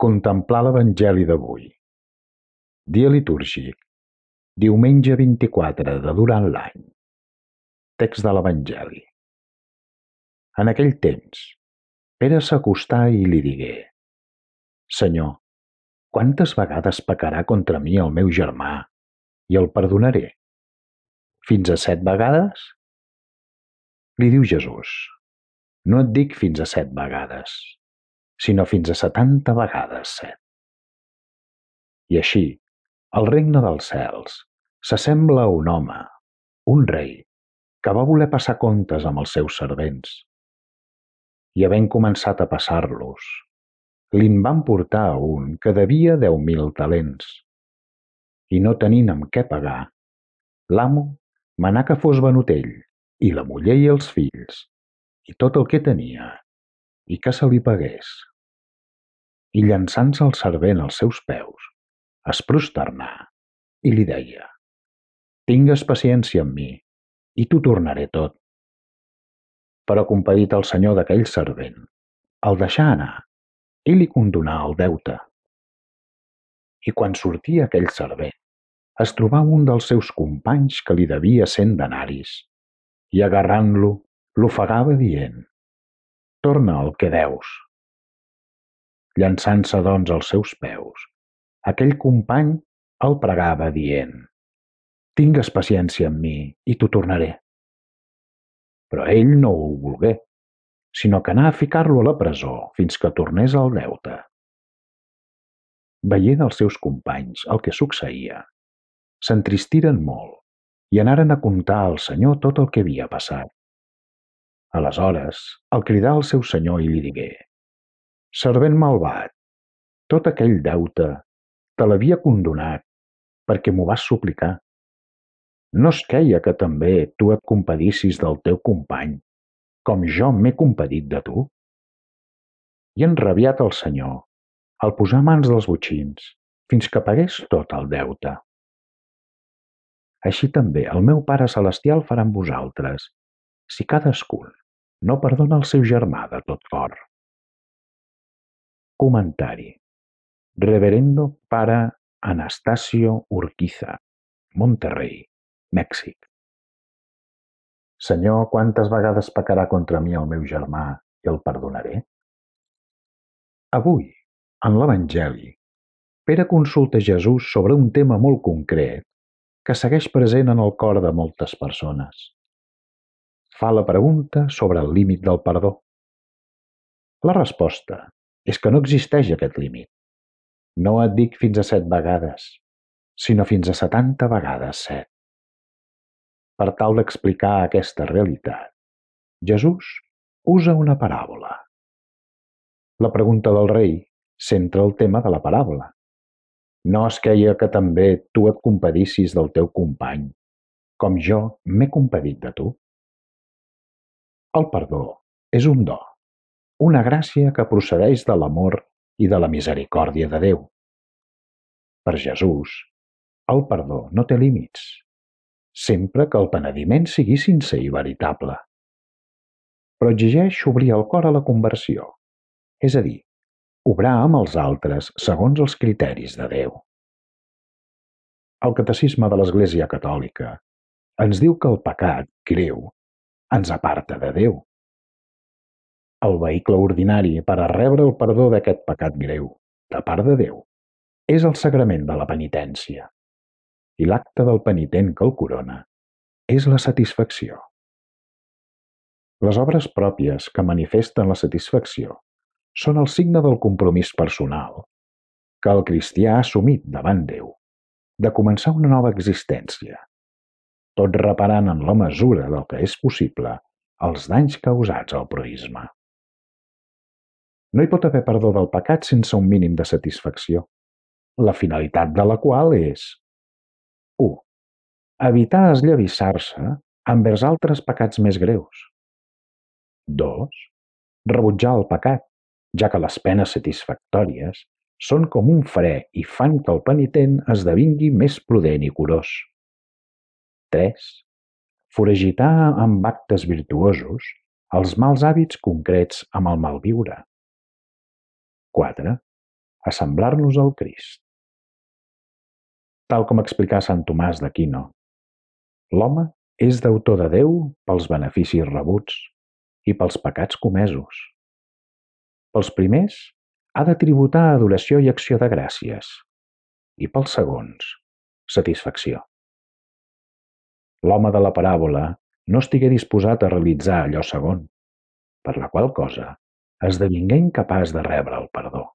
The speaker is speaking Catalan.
Contemplar l'Evangeli d'avui. Dia litúrgic. Diumenge 24 de durant l'any. Text de l'Evangeli. En aquell temps, Pere s'acostà i li digué: Senyor, quantes vegades pecarà contra mi el meu germà i el perdonaré? Fins a 7 vegades? Li diu Jesús: No et dic fins a 7 vegades, sinó fins a 70 vegades 7. I així, el regne dels cels s'assembla a un home, un rei, que va voler passar comptes amb els seus servents. I havent començat a passar-los, li'n van portar a un que devia 10.000 talents. I no tenint amb què pagar, l'amo manà que fos venut ell, i la muller i els fills, i tot el que tenia, i que se li pagués. I llançant-se el servent als seus peus, es prosternà i li deia: Tingues paciència amb mi, i t'ho tornaré tot. Però compadit el senyor d'aquell servent, el deixà anar i li condonà el deute. I quan sortia aquell servent, es trobà un dels seus companys que li devia 100 denaris, i agarrant-lo, l'ofegava dient: Torna el que deus. Llançant-se doncs als seus peus, aquell company el pregava dient: Tingues paciència amb mi i t'ho tornaré. Però ell no ho volgué, sinó que anà a ficar-lo a la presó fins que tornés el deute. Veient els seus companys el que succeïa, s'entristiren molt i anaren a contar al senyor tot el que havia passat. Aleshores el cridà al seu senyor i li digué: Servent malvat, tot aquell deute te l'havia condonat perquè m'ho vas suplicar. No es queia que també tu et compadissis del teu company, com jo m'he compadit de tu? I enrabiat el senyor, el posà a mans dels botxins fins que pagués tot el deute. Així també el meu Pare Celestial farà amb vosaltres, si cadascun no perdona el seu germà de tot cor. Comentari. Reverendo Pare Anastasio Urquiza, Monterrey, Mèxic. Senyor, quantes vegades pecarà contra mi el meu germà i el perdonaré? Avui, en l'Evangeli, Pere consulta Jesús sobre un tema molt concret que segueix present en el cor de moltes persones. Fa la pregunta sobre el límit del perdó. La resposta és que no existeix aquest límit. No et dic fins a 7 vegades, sinó fins a 70 vegades 7. Per tal d'explicar aquesta realitat, Jesús usa una paràbola. La pregunta del rei centra el tema de la paràbola. No es queia que també tu et compadissis del teu company, com jo m'he compadit de tu? El perdó és un do, una gràcia que procedeix de l'amor i de la misericòrdia de Déu. Per Jesús, el perdó no té límits, sempre que el penediment sigui sincer i veritable. Però exigeix obrir el cor a la conversió, és a dir, obrar amb els altres segons els criteris de Déu. El Catecisme de l'Església Catòlica ens diu que el pecat greu ens aparta de Déu. El vehicle ordinari per a rebre el perdó d'aquest pecat greu, de part de Déu, és el sagrament de la penitència, i l'acte del penitent que el corona és la satisfacció. Les obres pròpies que manifesten la satisfacció són el signe del compromís personal que el cristià ha assumit davant Déu de començar una nova existència, tot reparant en la mesura del que és possible els danys causats al proïsme. No hi pot haver perdó del pecat sense un mínim de satisfacció, la finalitat de la qual és 1. Evitar esllavissar-se envers altres pecats més greus. 2. Rebutjar el pecat, ja que les penes satisfactòries són com un fre i fan que el penitent esdevingui més prudent i curós. 3. Foragitar amb actes virtuosos els mals hàbits concrets amb el malviure. 4. assemblar-nos al Crist. Tal com explicà Sant Tomàs d'Aquino, l'home és deutor de Déu pels beneficis rebuts i pels pecats comesos. Pels primers, ha de tributar adoració i acció de gràcies, i pels segons, satisfacció. L'home de la paràbola no estigué disposat a realitzar allò segon, per la qual cosa esdevingué incapaç de rebre el perdó.